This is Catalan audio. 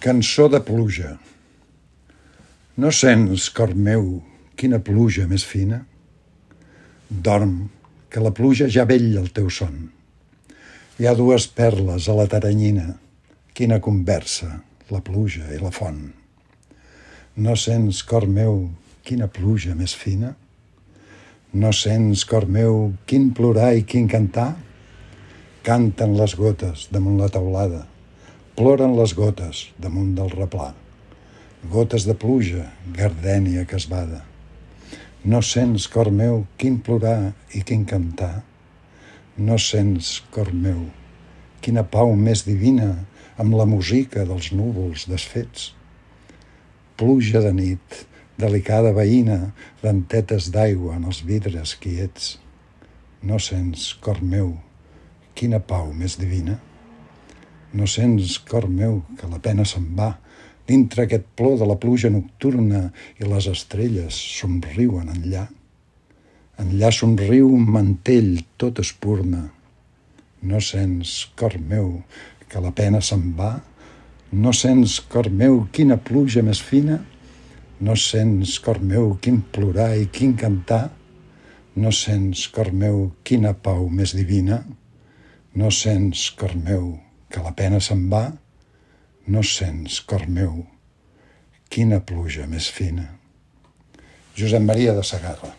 Cançó de pluja. No sents, cor meu, quina pluja més fina? Dorm, que la pluja ja vetlla el teu son. Hi ha dues perles a la teranyina. Quina conversa, la pluja i la font. No sents, cor meu, quina pluja més fina? No sents, cor meu, quin plorar i quin cantar? Canten les gotes damunt la teulada. Ploren les gotes damunt del replà. Gotes de pluja, gardènia casbada. No sents, cor meu, quin plorar i quin cantar? No sents, cor meu, quina pau més divina amb la música dels núvols desfets? Pluja de nit, delicada veïna, dentetes d'aigua en els vidres quiets. No sents, cor meu, quina pau més divina? No sents, cor meu, que la pena se'n va dintre aquest plor de la pluja nocturna i les estrelles somriuen enllà? Enllà somriu un mantell tot espurna. No sents, cor meu, que la pena se'n va? No sents, cor meu, quina pluja més fina? No sents, cor meu, quin plorar i quin cantar? No sents, cor meu, quina pau més divina? No sents, cor meu, que la pena se'n va? No sents, cor meu, quina pluja més fina. Josep Maria de Sagarra.